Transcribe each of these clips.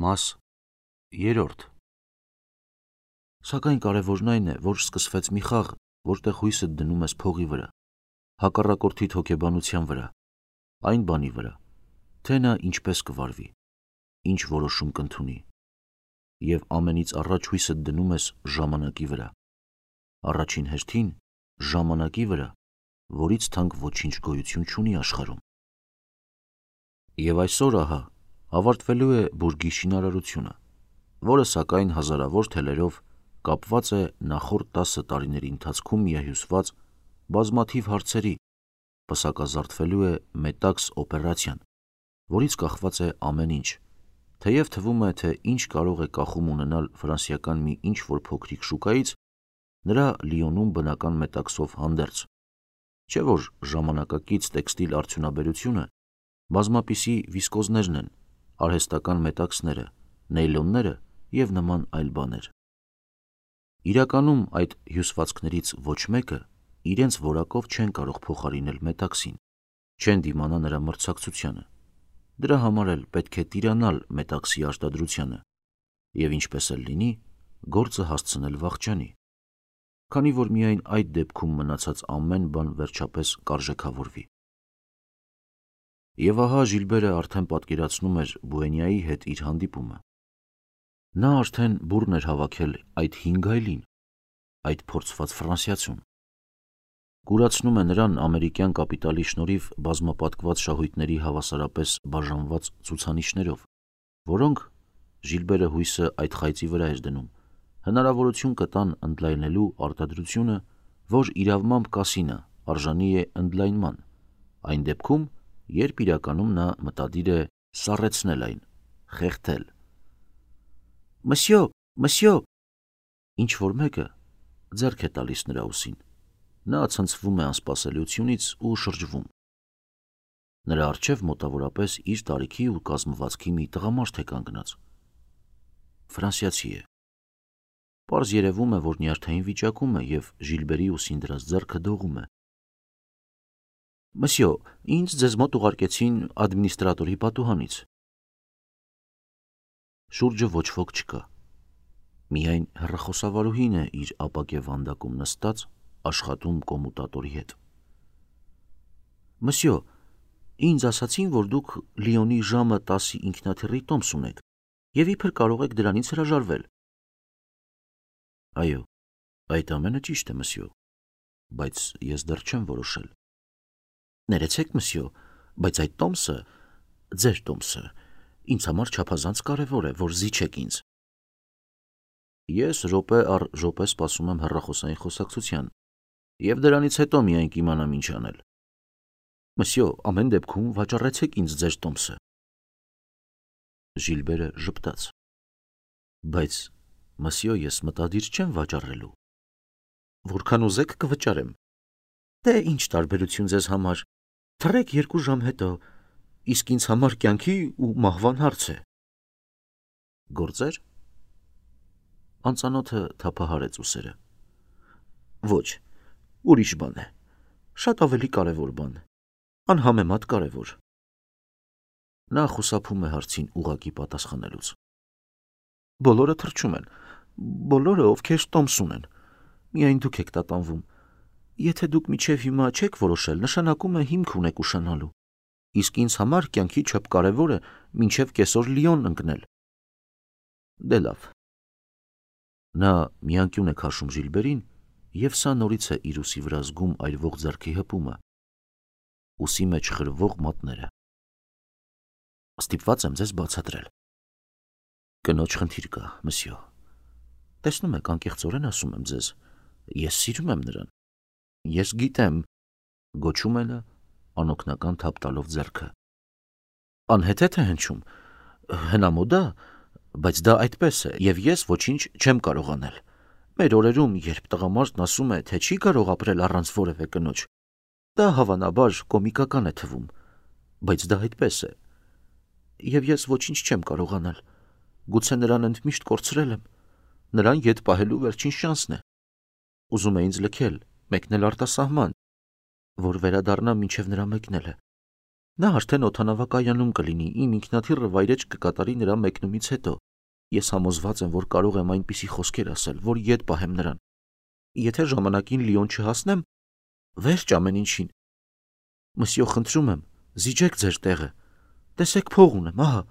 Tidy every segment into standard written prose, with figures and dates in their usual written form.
Մաս 3 Սակայն կարևորն այն է, որ սկսվեց մի խաղ, որտեղ հույսդ դնում ես փողի վրա, հակառակորդիդ հոգեբանության վրա, այն բանի վրա, թե նա ինչպես կվարվի, ինչ որոշում կընդունի, և ամենից առաջ հույսդ դնում ես ժամանակի վրա, առաջին հերթին ժամանակի վրա, որից թանկ ոչինչ գոյություն չունի աշխարհում։ Եվ այսօր ահա ավարտվելու է բուրգի շինարարությունը, որը սակայն հազարավոր թելերով կապված է նախորդ 10 տարիների ընթացքում միահյուսված բազմաթիվ հարցերի, պսակազարդվելու է Մետաքս օպերացիան, որից կախված է ամեն ինչ, թեև թվում է, թե ինչ կարող է կախում ունենալ ֆրանսիական մի ինչ-որ փոքրիկ շուկայից նրա Լիոնում բնական մետաքսով հանդերձ, չէ որ ժամանակակից տեքստիլ արդյունաբերությունը բազմապիսի վիսկոզներն են, արհեստական մետաքսները, նեյլոնները և նման այլ բաներ։ Իրականում այդ հյուսվածքներից ոչ մեկը իրենց որակով չեն կարող փոխարինել մետաքսին, չեն դիմանա նրա մրցակցությանը, դրա համար էլ պետք է տիրանալ մետաքսի արտադրությանը և ինչպես էլ լինի, գործը հասցնել վախճանի, քանի որ միայն այդ դեպքում մնացած ամեն բան վերջապես կարժեքավորվի։ Եվ ահա Ժիլբերը արդեն պատկերացնում էր Բուենյայի հետ իր հանդիպումը։ Նա արդեն բուռն էր հավաքել այդ 5 այլին, այդ փորձված ֆրանսիացուն։ Կուրացնում է նրան ամերիկյան կապիտալի շնորհիվ բազմապատկված շահույթների հավասարապես բաժանված ցուցանիշներով, որոնք, Ժիլբերը հույսը այդ խայծի վրա էր դնում, հնարավորություն կտան ընդլայնելու արտադրությունը, որ իրավմամբ կասինա, արժանի է ընդլայնման, այն դեպքում, երբ իրականում նա մտադիր է սառեցնել այն, խեղդել։ Մսյո, ինչ-որ մեկը ձեռք է տալիս նրա ուսին, նա ցնցվում է անսպասելիությունից ու շրջվում։ Նրա առջև մոտավորապես իր տարիքի ու կազմվածքի մի տղամարդ է կանգնած։ Ֆրանսիացի է։ Պարզ երևում է, որ նյարդային վիճակում է և Ժիլբերի ուսին դրած ձեռքը դողում է։ Մսյո, ինձ ձեզ մոտ ուղարկեցին ադմինիստրատորի պատուհանից։ Շուրջը ոչ ոք չկա։ Միայն հեռախոսավարուհին է իր ապակե վանդակում նստած, աշխատում կոմուտատորի հետ։ Մսյո, ինձ ասացին, որ դուք Լիոնի ժամը 10-ի ինքնաթիռի տոմս ունեք և իբր կարող եք դրանից հրաժարվել։ Այո, այդ ամենը ճիշտ է, մսյո, բայց ես դեռ չեմ որոշել։ Ներեցեք, մսյո, բայց այդ տոմսը, ձեր տոմսը, ինձ համար չափազանց կարևոր է, որ զիջեք ինձ։ Ես րոպե առ րոպե սպասում եմ հեռախոսային խոսակցության և դրանից հետո միայն կիմանամ ինչ անել։ Մսյո, ամեն դեպքում վաճառեցեք ինձ ձեր տոմսը։ Ժիլբերը ժպտաց։ Բայց, մսյո, ես մտադիր չեմ վաճառելու։ Որքան ուզեք կվճարեմ։ Դե ինչ տարբերություն ձեզ համար, թռեք 2 ժամ հետո, իսկ ինձ համար կյանքի ու մահվան հարց է։ Գործեր։ Անծանոթը թափահարեց ուսերը։ Ոչ, ուրիշ բան է, շատ ավելի կարևոր բան, անհամեմատ կարևոր։ Նա խուսափում է հարցին ուղղակի պատասխանելուց։ Բոլորը թռչում են, բոլորը, ովքեր տոմս ունեն, միայն դուք եք տատանվում։ Եթե դուք մինչև հիմա չեք որոշել, նշանակում է հիմք ունեք ուշանալու, իսկ ինձ համար կյանքի չափկարևոր է մինչև կեսօր Լիոն ընկնել։ Դե լավ։ Նա միանկյուն է քաշում Ժիլբերին, և սա նորից է իր ուսի վրա զգում այրվող ձեռքի հպումը, ուսի մեջ խրվող մատները։ Ստիպված եմ ձեզ բացատրել։ Կնոջ խնդիր կա, մսյո։ Տեսնում եք, անկեղծորեն ասում եմ ձեզ, ես սիրում եմ նրան։ Ես գիտեմ, գոչում է նա, անօգնական թափ տալով ձեռքը։ Անհեթեթ է հնչում, հնամոդ է, բայց դա այդպես է, և ես ոչինչ չեմ կարող անել։ Մեր օրերում, երբ տղամարդն ասում է, թե չի կարող ապրել առանց որևէ կնոջ, դա հավանաբար կոմիկական է թվում, բայց դա այդպես է։ Եվ ես ոչինչ չեմ կարող անել։ Գուցե նրան ընդմիշտ կորցրել եմ, նրան ետ պահելու վերջին շանսն է։ Ուզում է ինձ լքել, մեկնել արտասահման, որ վերադառնամ մինչև նրա մեկնելը։ Նա արդեն օդանավակայանում կլինի, իմ ինքնաթիռը վայրեջք կկատարի նրա մեկնումից հետո։ Ես համոզված եմ, որ կարող եմ այնպիսի խոսքեր ասել, որ ետ պահեմ նրան։ Եթե ժամանակին Լիոն չհասնեմ, վերջ ամեն ինչին։ Մսյո, խնդրում եմ, զիջեք ձեր տեղը։ Տեսեք, փող ունեմ, ահա։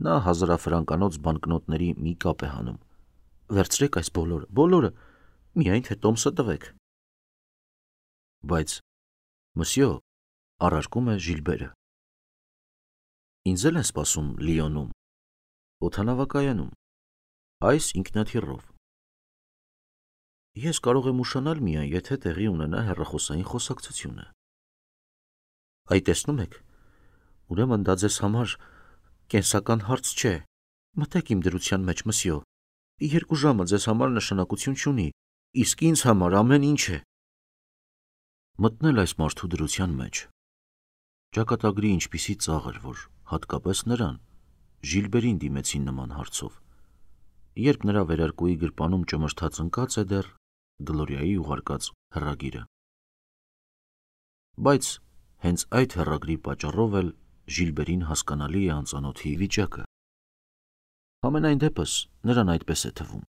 Նա 1000 ֆրանկանոց բանկնոտների մի կապ է հանում։ Վերցրեք այս բոլորը, միայն թե տոմսը տվեք։ Բայց, մսյո, առարկում է Ժիլբերը։ Ինձ էլ են սպասում Լիոնում, օդանավակայանում, այս ինքնաթիռով։ Ես կարող եմ ուշանալ միայն, եթե տեղի ունենա հեռախոսային խոսակցությունը։ Այ տեսնում եք, ուրեմն դա ձեզ համար կենսական հարց չէ։ Մտեք իմ դրության մեջ, մսյո։ 2 ժամը ձեզ համար նշանակություն չունի, իսկ ինձ համար ամեն ինչ է։ Մտնել այս մարդու դրության մեջ ճակատագրի ինչպիսի ծաղր, որ հատկապես նրան, Ժիլբերին դիմեցին նման հարցով, երբ նրա վերարկուի գրպանում ճմրթած ընկած է դեռ Գլորիայի ուղարկած հեռագիրը։ Բայց հենց այդ հեռագրի պատճառով էլ Ժիլբերին հասկանալի է անծանոթի վիճակը։ Համենայն դեպս նրան այդպես է թվում։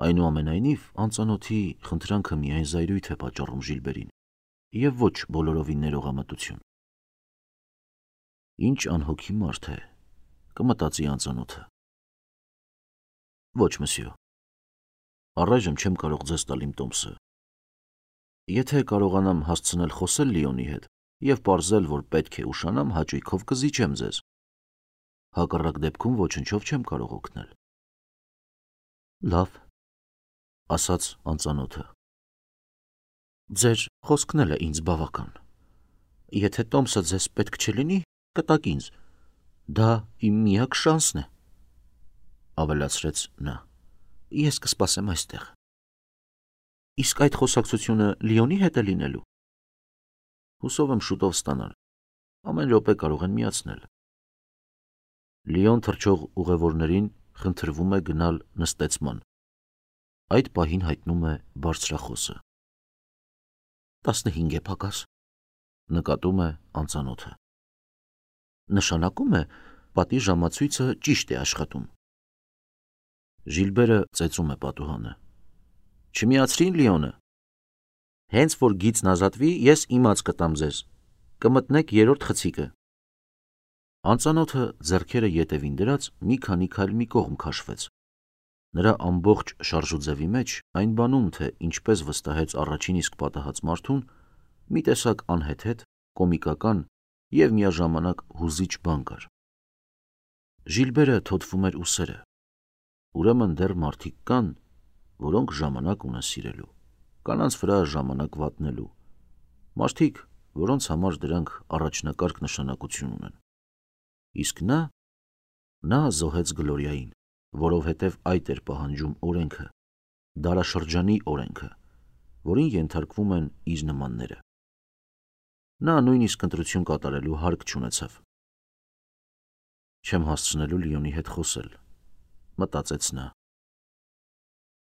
Այնուամենայնիվ, անծանոթի խնդրանքը միայն զայրույթ է պատճառում Ժիլբերին և ոչ բոլորովին ներողամտություն։ Ինչ անհոգի մարդ է, կմտածի անծանոթը։ Ոչ, մսյո, առայժմ չեմ կարող ձեզ տալ իմ տոմսը։ Եթե կարողանամ հասցնել խոսել Լիոնի հետ և պարզել, որ պետք է ուշանամ, հաճույքով կզիջեմ ձեզ։ Հակառակ դեպքում ոչնչով չեմ կարող օգնել։ Լավ, ասաց անծանոթը։ Ձեր խոսքն էլ է ինձ բավական։ Եթե տոմսը ձեզ պետք չլինի, կտակ ինձ։ Դա իմ միակ շանսն է, ավելացրեց նա։ Ես կսպասեմ այստեղ։ Իսկ այդ խոսակցությունը Լիոնի հետ է լինելու։ Հուսով եմ շուտով ստանալ։ Ամեն րոպե կարող են միացնել։ Լիոն թռչող ուղևորներին խնդրվում է գնալ նստեցման։ Այդ պահին հայտնում է բարձրախոսը։ 15 է պակաս, նկատում է անծանոթը։ Նշանակում է, պատի ժամացույցը ճիշտ է աշխատում։ Ժիլբերը ծեծում է պատուհանը։ Չմիացրին Լիոնը։ Հենց որ գիծն ազատվի, ես իմաց կտամ ձեզ։ Կմտնեք 3-րդ խցիկը։ Անծանոթը ձեռքերը ետևին դրած մի քանի քայլ մի կողմ քաշվեց։ Նրա ամբողջ շարժուձևի մեջ այն բանում, թե ինչպես վստահեց առաջին իսկ պատահած մարդուն, մի տեսակ անհեթեթ, կոմիկական և միաժամանակ հուզիչ բան կար։ Ժիլբերը թոթվում էր ուսերը։ Ուրեմն դեռ մարդիկ կան, որոնք ժամանակ ունեն սիրելու, կանանց վրա ժամանակ վատնելու, մարդիկ, որոնց համար դրանք առաջնակարգ նշանակություն ունեն։ Իսկ նա զոհեց Գլորիային, որովհետև այդ էր պահանջում օրենքը, դարաշրջանի օրենքը, որին ենթարկվում են իր նմանները։ Նա նույնիսկ ընտրություն կատարելու հարկ չունեցավ։ Չեմ հասցնելու Լիոնի հետ խոսել, մտածեց նա։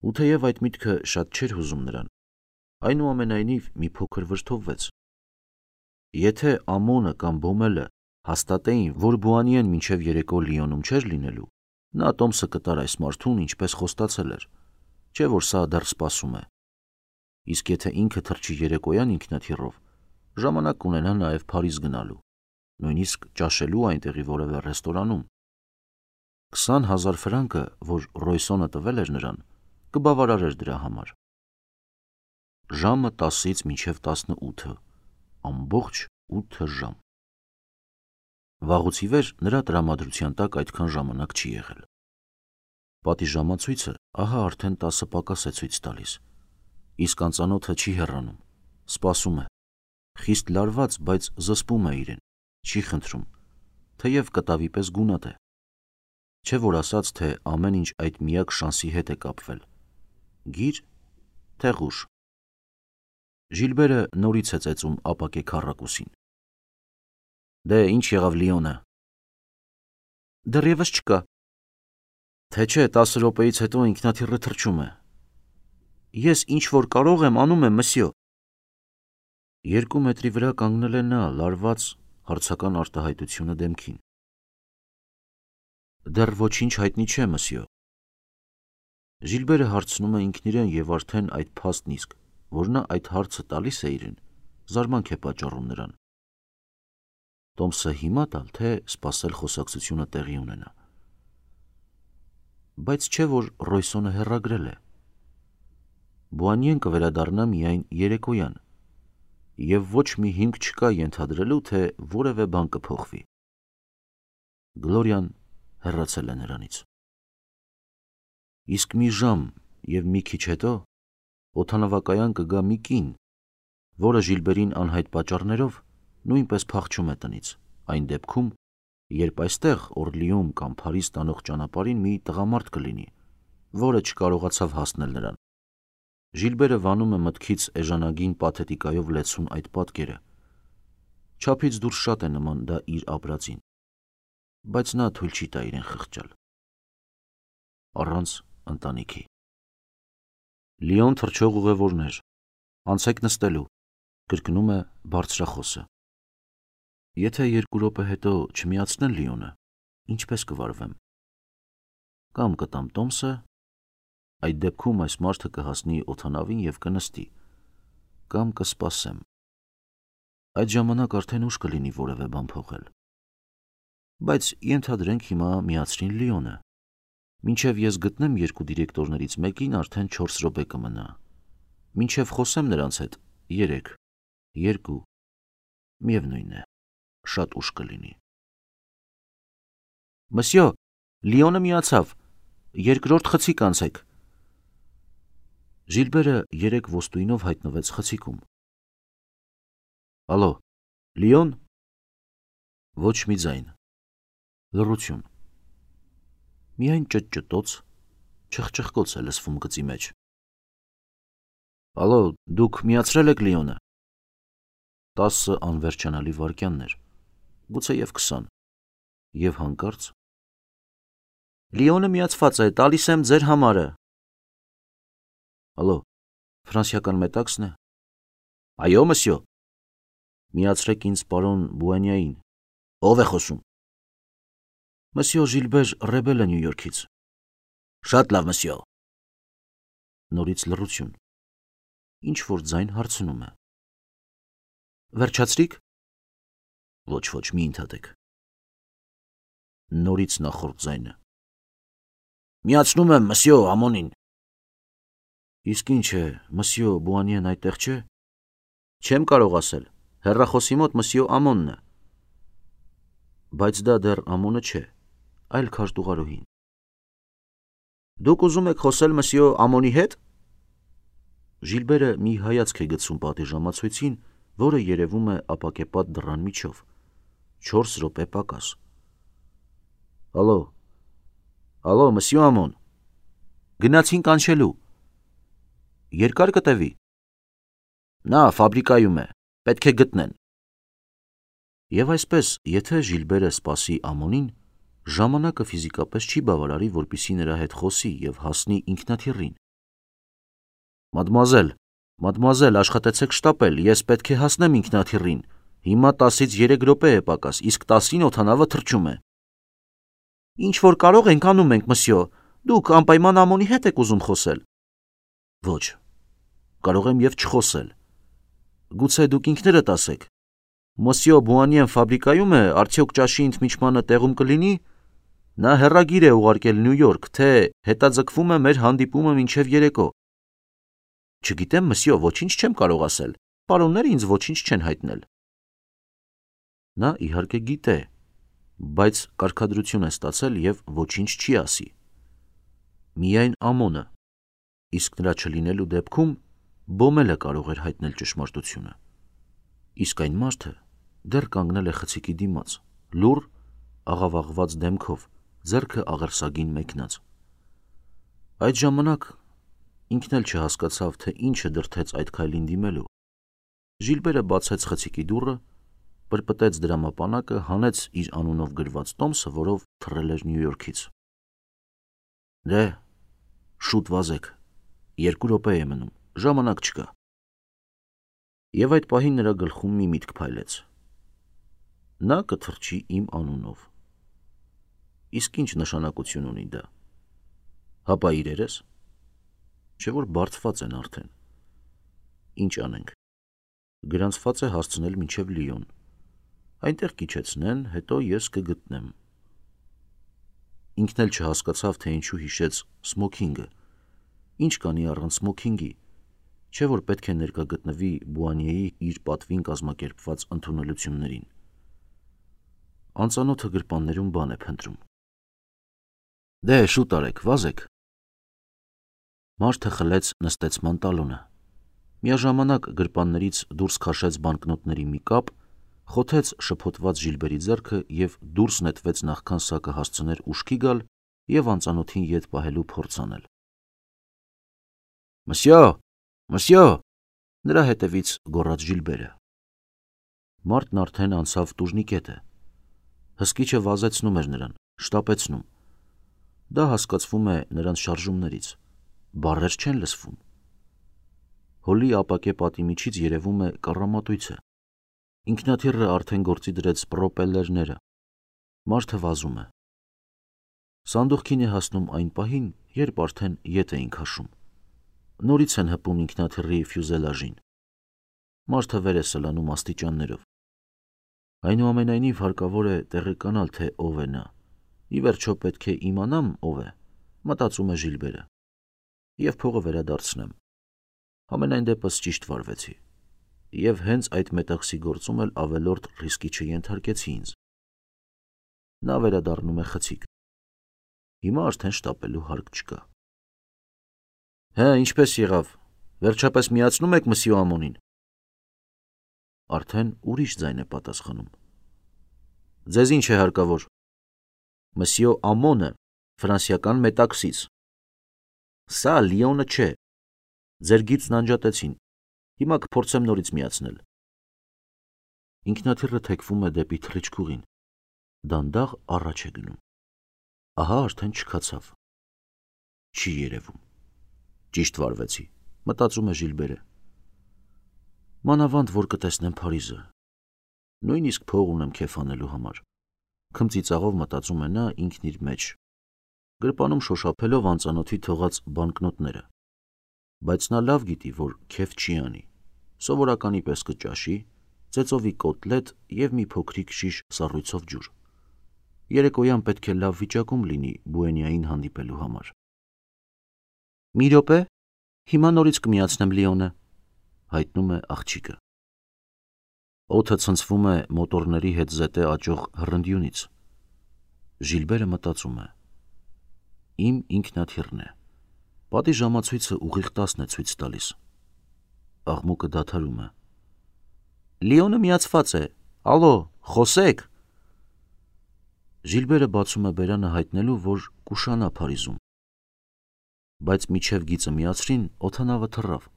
Ու թեև այդ միտքը շատ չէր հուզում նրան, այնուամենայնիվ մի փոքր վրդովվեց։ Եթե Ամոնը կամ Բոմելը հաստատեին, որ Բուանիեն մինչև երեկո Լիոնում չէր լինելու, նա տոմսը կտար այս մարդուն, ինչպես խոստացել էր, չէ որ սա դեռ սպասում է։ Իսկ եթե ինքը թռչի երեկոյան ինքնաթիռով, ժամանակ կունենա նաև Փարիզ գնալու, նույնիսկ ճաշելու այնտեղի որևէ ռեստորանում։ 20,000 ֆրանկը, որ Ռոյսոնը տվել էր նրան, կբավարարեր դրա համար։ Ժամը 10-ից մինչև 18, ամբողջ 8 ժամ։ Վաղուց ի վեր նրա տրամադրության տակ այդքան ժամանակ չի եղել։ Պատի ժամացույցը ահա արդեն 10 պակաս է ցույց տալիս, իսկ անծանոթը չի հեռանում, սպասում է, խիստ լարված, բայց զսպում է իրեն, չի խնդրում, թեև կտավի պես գունատ է։ Չէ որ ասաց, թե ամեն ինչ այդ միակ շանսի հետ է կապվել։ Գիր, թե ղուշ։ Ժիլբերը նորից է ծեծում ապակե քառակուսին։ Դե ինչ եղավ Լիոնը։ Դեռևս չկա։ Թե չէ 10 րոպեից հետո ինքնաթիռը թռչում է։ Ես ինչ որ կարող եմ անում եմ, մսյո։ 2 մետրի վրա կանգնել է նա, լարված հարցական արտահայտությունը դեմքին։ Դեռ ոչինչ հայտնի չէ, մսյո։ Ժիլբերը հարցնում է ինքն իրեն և արդեն այդ փաստն իսկ, որ նա այդ հարցը տալիս է իրեն, զարմանք է պատճառում նրան։ Տոմսը հիմա տալ, թե սպասել խոսակցությունը տեղի ունենա։ Բայց չէ, որ Ռոյսոնը հեռագրել է։ Բուանիեն կվերադառնա միայն երեկոյան, և ոչ մի հիմք չկա ենթադրելու, թե որևէ բան կփոխվի։ Գլորիան հեռացել է նրանից։ Իսկ մի ժամ և մի քիչ հետո օդանավակայան կգա մի կին, որը Ժիլբերին անհայտ պատճառներով նույնպես փախչում է տնից, այն դեպքում, երբ այստեղ Օրլիում կամ Փարիզ տանող ճանապարհին մի տղամարդ կլինի, որը չկարողացավ հասնել նրան։ Ժիլբերը վանում է մտքից էժանագին պաթետիկայով լեցուն այդ պատկերը։ Չափից դուրս շատ է նման դա իր ապրածին, բայց նա թույլ չի տա իրեն խղճալ։ Առանց ընտանիքի։ Լիոն թռչող ուղևորներ, անցեք նստելու, կրկնում է բարձրախոսը։ Եթե 2 րոպե հետո չմիացնեն Լիոնը, ինչպես կվարվեմ։ Կամ կտամ Տոմսը, այդ դեպքում այս մարդը կհասնի օդանավին և կնստի, կամ կսպասեմ։ Այդ ժամանակ արդեն ուշ կլինի որևէ բան փոխել։ Բայց ենթադրենք հիմա միացրին Լիոնը։ Մինչև ես գտնեմ 2 դիրեկտորներից մեկին արդեն 4 րոպե կմնա։ Մինչև խոսեմ նրանց հետ 3, 2, միևնույն է, շատ ուշ կլինի։ Մսյո, Լիոնը միացավ, 2-րդ խցիկ անցեք։ Ժիլբերը 3 ոստույնով հայտնվեց խցիկում։ Ալո, Լիոն։ Ոչ մի ձայն։ Լռություն։ Միայն ճտճտոց, չխչխկոց է լսվում գծի մեջ։ Ալո, դուք միացրել եք Լիոնը։ 10 անվերջանալի վայրկյաններ, գուցեև 20, և հանկարծ Լիոնը միացված է, տալիս եմ ձեր համարը։ Ալո, ֆրանսիական մետաքսն է։ Այո, մսյո։ Միացրեք ինձ պարոն Բուանիային։ Ո՞վ է խոսում։ Մսյո Ժիլբեր Ռեբելը Նյու Յորքից։ Շատ լավ, մսյո։ Նորից լռություն։ Ինչ որ ձայն հարցնում է։ Վերջացրիք։ Ոչ, մի ընդհատեք։ Նորից նախորդ ձայնը։ Միացնում եմ, մսյո, ամոնին։ Իսկ ինչ է, մսյո Բուանիեն այդտեղ չէ։ Չեմ կարող ասել, հեռախոսի մոտ մսյո Ամոնն է։ Բայց դա դեռ Ամոնը չէ, այլ քարտուղարուհին։ Դուք ուզում եք խոսել մսյո Ամոնի հետ։ Ժիլբերը մի հայացք է գցում պատիժամացույցին, որը երևում է ապակեպատ դռան միջով։ 4 րոպե պակաս։ Ալո, մսյո Ամոն։ Գնացին կանչելու։ Երկար կտևի։ Նա ֆաբրիկայում է, պետք է գտնեն։ Եվ այսպես, եթե Ժիլբերը սպասի Ամոնին, ժամանակը ֆիզիկապես չի բավարարի, որպեսզի նրա հետ խոսի և հասնի ինքնաթիռին։ Մադմուազել, աշխատեցեք շտապել, ես պետք է հասնեմ ինքնաթիռին։ Հիմա 10-ից 3 րոպե է պակաս, իսկ 10-ին օդանավը թռչում է։ Ինչ որ կարող ենք անում ենք, մսյո, դուք անպայման Ամոնի հետ եք ուզում խոսել։ Ոչ, կարող եմ և չխոսել։ Գուցե դուք ինքներդ ասեք։ Մսյո Բուանիեն ֆաբրիկայում է, արդյոք ճաշի ընդմիջմանը տեղում կլինի։ Նա հեռագիր է ուղարկել Նյու Յորք, թե հետաձգվում է մեր հանդիպումը մինչև երեկո։ Չգիտեմ, մսյո, ոչինչ չեմ կարող ասել։ Պարոնները ինձ ոչինչ չեն հայտնել։ Նա իհարկե գիտե, բայց կարգադրություն է ստացել և ոչինչ չի ասի։ Միայն Ամոնը, իսկ նրա չլինելու դեպքում Բոմելը կարող էր հայտնել ճշմարտությունը։ Իսկ այն մարդը դեռ կանգնել է խցիկի դիմաց, լուռ, աղավաղված դեմքով, ձեռքը աղերսագին մեկնած։ Այդ ժամանակ ինքն էլ չհասկացավ, թե ինչը դրդեց այդ քայլին դիմելու։ Ժիլբերը բացեց խցիկի դուռը, պրպտեց դրամապանակը, հանեց իր անունով գրված տոմսը, որով թռել էր Նյու Յորքից։ Դե, շուտ վազեք, 2 րոպե է մնում, ժամանակ չկա։ Եվ այդ պահին նրա գլխում մի միտք փայլեց. նա կթռչի իմ անունով։ Իսկ ինչ նշանակություն ունի դա։ Հապա իրերս, չէ որ բարձված են արդեն։ Ինչ անենք։ Գրանցված է հասցնել մինչև Լիոն։ Այնտեղ կիջեցնեն, հետո ես կգտնեմ։ Ինքն էլ չհասկացավ, թե ինչու հիշեց սմոքինգը։ Ինչ կանի առանց սմոքինգի, չէ որ պետք է ներկա գտնվի Բուանիեի իր պատվին կազմակերպված ընդունելություններին։ Անծանոթը գրպաններում բան է փնտրում։ Դե, շուտ արեք, վազեք։ Մարդը խլեց նստեցման տալոնը։ Միաժամանակ գրպաններից դուրս քաշեց բանկնոտների մի կապ, խոթեց շփոթված Ժիլբերի ձեռքը և դուրս նետվեց նախքան սա կհասցներ ուշքի գալ և անծանոթին ետ պահելու փորձ անել։ Մսյո, մսյո, նրա հետևից գոռաց Ժիլբերը։ Մարդն արդեն անցավ տուժնիկետը։ Հսկիչը վազեցնում էր նրան, շտապեցնում։ Դա հասկացվում է նրանց շարժումներից, բառեր չեն լսվում։ Հոլի ապակե պատի միջից երևում է կառամատույցը։ Ինքնաթիռը արդեն գործի դրեց պրոպելլերները։ Մարդը վազում է։ Սանդուղքին է հասնում այն պահին, երբ արդեն ետ էին քաշում։ Նորից են հպում ինքնաթիռի ֆյուզելաժին։ Մարդը վեր է սլանում աստիճաններով։ Այնուամենայնիվ հարկավոր է տեղեկանալ, թե ով է նա։ Ի վերջո պետք է իմանամ ով է, մտածում է Ժիլբերը։ Եվ փողը վերադարձնեմ։ Համենայն դեպս ճիշտ վարվեցի։ Եվ հենց այդ մետաքսի գործում էլ ավելորդ ռիսկի չենթարկեցի ինձ։ Նա վերադառնում է խցիկ։ Հիմա արդեն շտապելու հարկ չկա։ Հա, ինչպես եղավ, վերջապես միացնում եք մսյո Ամոնին։ Արդեն ուրիշ ձայն է պատասխանում։ Ձեզ ինչ է հարկավոր։ Մսյո Ամոնը ֆրանսիական մետաքսից։ Սա Լիոնը չէ։ Ձեր գիծն անջատեցին։ Հիմա կփորձեմ նորից միացնել։ Ինքնաթիռը թեքվում է դեպի թռիչքուղին։ Դանդաղ առաջ է գնում։ Ահա արդեն չքացավ։ Չի երևում։ Ճիշտ վարվեցի, մտածում է Ժիլբերը։ Մանավանդ, որ կտեսնեմ Փարիզը։ Նույնիսկ փող ունեմ քեֆ անելու համար։ Քմծիծաղով մտածում է նա ինքն իր մեջ։ Գրպանում շոշափելով անծանոթի թողած բանկնոտները։ Բայց նա լավ գիտի, որ քեֆ չի անի։ Սովորականի պես կճաշի, ծեծովի կոտլետ և մի փոքրիկ շիշ սառույցով ջուր։ Երեկոյան պետք է լավ վիճակում լինի Բուենիային հանդիպելու համար։ Մի րոպե, հիմա նորից կմիացնեմ Լիոնը, հայտնում է աղջիկը։ Օդը ցնցվում է մոտորների հետ զետե աճող հռնդյունից։ Ժիլբերը մտածում է. իմ ինքնաթիռն է։ Պատի ժամացույցը ուղիղ 10 է ցույց տալիս։ Աղմուկը դադարում է։ Լիոնը միացված է։ Ալո, խոսեք։ Ժիլբերը բացում է բերանը հայտնելու, որ կուշանա Փարիզում։ Բայց միջև գիծը միացրին, օդանավը թռավ։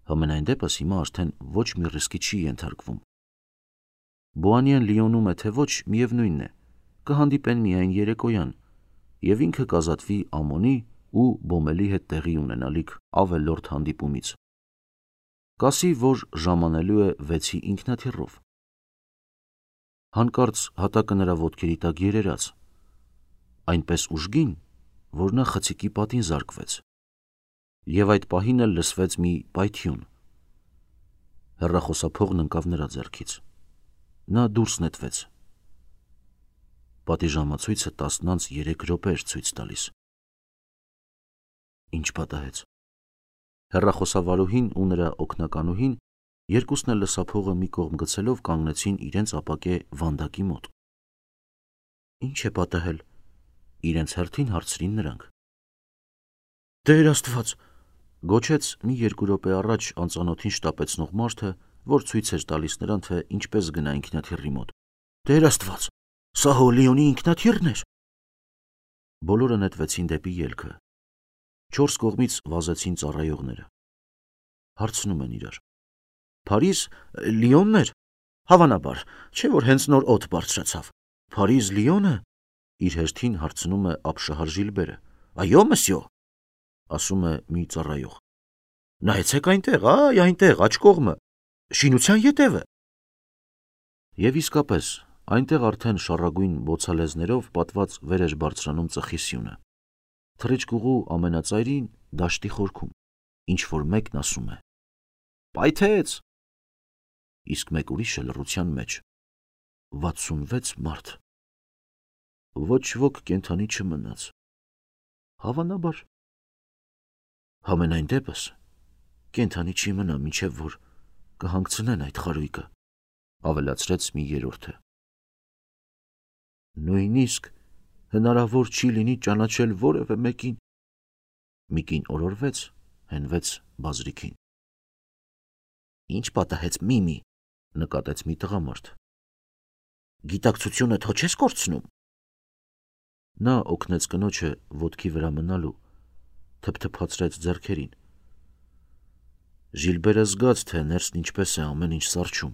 Համենայն դեպս հիմա արդեն ոչ մի ռիսկի չի ենթարկվում։ Բուանիեն Լիոնում է թե ոչ, միևնույնն է, կհանդիպեն միայն երեկոյան, և ինքը կազատվի Ամոնի ու Բոմելի հետ տեղի ունենալիք ավելորդ հանդիպումից։ Կասի, որ ժամանելու է 6-ի ինքնաթիռով։ Հանկարծ հատակը նրա ոտքերի տակ երերաց, այնպես ուժգին, որ նա խցիկի պատին զարկվեց, և այդ պահին էլ լսվեց մի պայթյուն։ Հեռախոսափողն ընկավ նրա ձեռքից։ Նա դուրս նետվեց։ Պատի ժամացույցը 10:03 էր ցույց տալիս։ Ինչ պատահեց։ Հեռախոսավարուհին ու նրա օգնականուհին երկուսն էլ լսափողը մի կողմ գցելով կանգնեցին իրենց ապակե վանդակի մոտ։ Ինչ է պատահել, իրենց հերթին հարցրին նրանք։ Տեր Աստված, գոչեց մի 2 րոպե առաջ անծանոթին շտապեցնող մարդը, որ ցույց էր տալիս նրան, թե ինչպես գնա ինքնաթիռի մոտ։ Տեր Աստված, սա հո Լիոնի ինքնաթիռն էր։ Բոլորը նետվեցին դեպի ելքը։ 4 կողմից վազեցին ծառայողները։ Հարցնում են իրար. Փարիզ, Լիոնն էր։ Հավանաբար, չէ որ հենց նոր օդ բարձրացավ։ Փարիզ, Լիոնը։ Իր հերթին հարցնում է ապշահար Ժիլբերը։ Այո, մսյո, ասում է մի ծառայող։ Նայեցեք այնտեղ, այ այնտեղ, աջ կողմը, Շինության ետևը։ Եվ իսկապես, այնտեղ արդեն շառագույն բոցալեզներով պատված վեր էր բարձրանում ծխի սյունը։ Թռիչքուղու ամենածայրին դաշտի խորքում, ինչ որ մեկն ասում է. «Պայթեց»։ Իսկ մեկ ուրիշը լռության մեջ. 66 մարդ։ Ոչ ոք կենդանի չմնաց։ Հավանաբար։ Համենայն դեպս, կենդանի չի մնա, մինչև որ կհանգցնեն այդ խարույկը, ավելացրեց մի երրորդը։ Նույնիսկ հնարավոր չի լինի ճանաչել որևէ մեկին։ Մի կին օրորվեց, հենվեց բազրիքին։ Ինչ պատահեց, Միմի, նկատեց մի տղամարդ։ Գիտակցությունը թո չես կորցնում։ Նա օգնեց կնոջը ոտքի վրա մնալու, թփթփացրեց ձեռքերին։ Ժիլբերը զգաց, թե ներսն ինչպես է ամեն ինչ սառչում։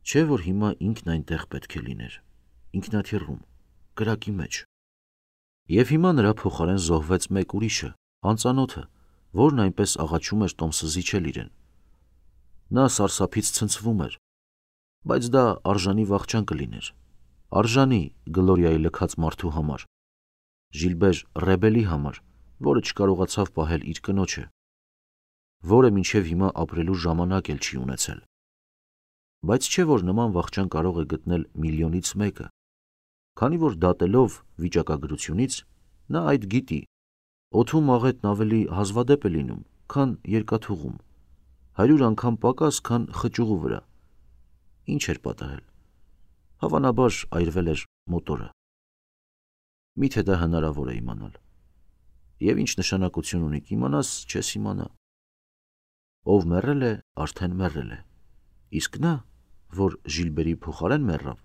Չէ որ հիմա ինքն այնտեղ պետք է լիներ, ինքնաթիռում, կրակի մեջ։ Եվ հիմա նրա փոխարեն զոհվեց մեկ ուրիշը, անծանոթը, որն այնպես աղաչում էր տոմսը զիջել իրեն։ Նա սարսափից ցնցվում էր, բայց դա արժանի վախճան կլիներ, արժանի Գլորիայի լքած մարդու համար, Ժիլբեր Ռեբելի համար, որը չկարողացավ պահել իր կնոջը, որը մինչև հիմա ապրելու ժամանակ էլ չի ունեցել։ Բայց չէ որ նման վախճան կարող է գտնել միլիոնից մեկը, քանի որ դատելով վիճակագրությունից նա այդ գիտի, օդում աղետն ավելի հազվադեպ է լինում, քան երկաթուղում, 100 անգամ պակաս, քան խճուղու վրա։ Ինչ էր պատահել։ Հավանաբար այրվել էր մոտորը։ Միթե դա հնարավոր է իմանալ։ Եվ ինչ նշանակություն ունի կիմանաս, չես իմանա։ Ով մեռել է, արդեն մեռել է։ Իսկ նա, որ Ժիլբերի փոխարեն մեռավ,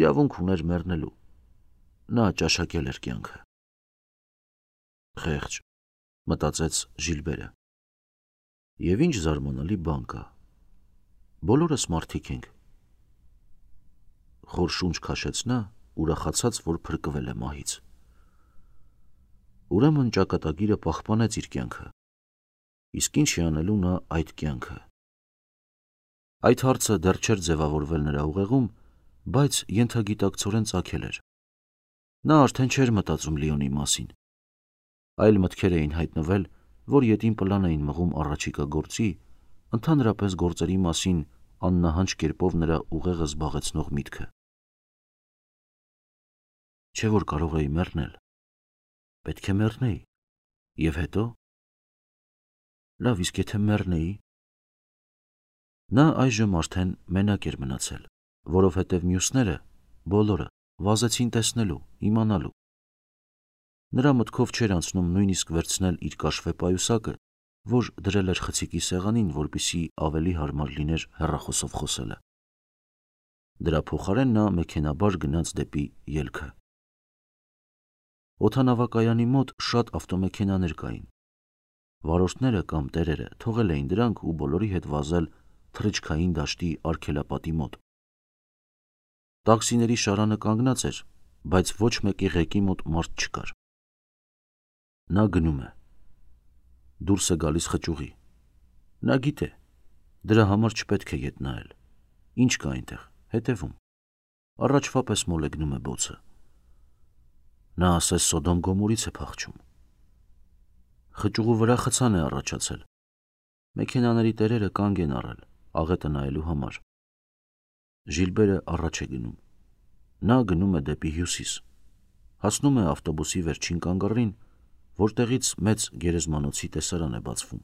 իրավունք ուներ մեռնելու։ Նա ճաշակել էր կյանքը։ Խեղճ, մտածեց Ժիլբերը։ Եվ ինչ զարմանալի բան կա։ Բոլորս մարդիկ ենք։ Խոր շունչ քաշեց նա, ուրախացած, որ փրկվել է մահից։ Ուրեմն ճակատագիրը պահպանեց իր կյանքը։ Իսկ ինչ է անելու նա այդ կյանքը։ Այդ հարցը դեռ չէր ձևավորվել նրա ուղեղում, բայց ենթագիտակցորեն ծագել էր։ Նա արդեն չէր մտածում Լիոնի մասին։ Այլ մտքեր էին հայտնվել, որ ետին պլան էին մղում առաջիկա գործի, ընդհանրապես գործերի մասին աննահանջ կերպով նրա ուղեղը զբաղեցնող միտքը։ Չէ որ կարող էի մեռնել։ Պետք է մեռնեի։ Եվ հետո։ Լավ, իսկ եթե մեռնեի։ Նա այժմ արդեն մենակ էր մնացել, որովհետև մյուսները, բոլորը, վազեցին տեսնելու, իմանալու։ Նրա մտքով չէր անցնում նույնիսկ վերցնել իր կաշվե պայուսակը, որ դրել էր խցիկի սեղանին, որպեսզի ավելի հարմար լիներ հեռախոսով խոսելը։ Դրա փոխարեն նա մեքենաբար գնաց դեպի ելքը։ Օդանավակայանի մոտ շատ ավտոմեքենաներ կային։ Վարորդները կամ տերերը թողել էին դրանք ու բոլորի հետ վազել թռիչքային դաշտի արգելապատի մոտ։ Տաքսիների շարանը կանգնած էր, բայց ոչ մեկի ղեկի մոտ մարդ չկար։ Նա գնում է։ Դուրս է գալիս խճուղի։ Նա գիտե, դրա համար չպետք է ետ նայել։ Ինչ կա այնտեղ, հետևում։ Առաջվա պես մոլեգնում է բոցը։ Նա ասես Սոդոմ Գոմորից է փախչում։ Խճուղու վրա խցան է առաջացել։ Մեքենաների տերերը կանգ են առել, աղետը նայելու համար։ Ժիլբերը առաջ է գնում։ Նա գնում է դեպի հյուսիս։ Հասնում է ավտոբուսի վերջին կանգառին, որտեղից մեծ գերեզմանոցի տեսարան է բացվում։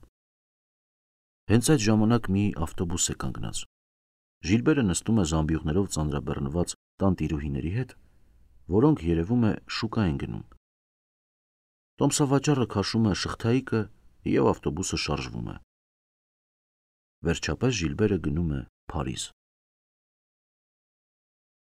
Հենց այդ ժամանակ մի ավտոբուս է կանգնած։ Ժիլբերը նստում է զամբյուղներով ծանրաբեռնված տանտիրուհիների հետ, որոնք երևում է շուկա են գնում։ Տոմսավաճառը քաշում է շղթայիկը և ավտոբուսը շարժվում է։ Վերջապես Ժիլբերը գնում է Փարիզ։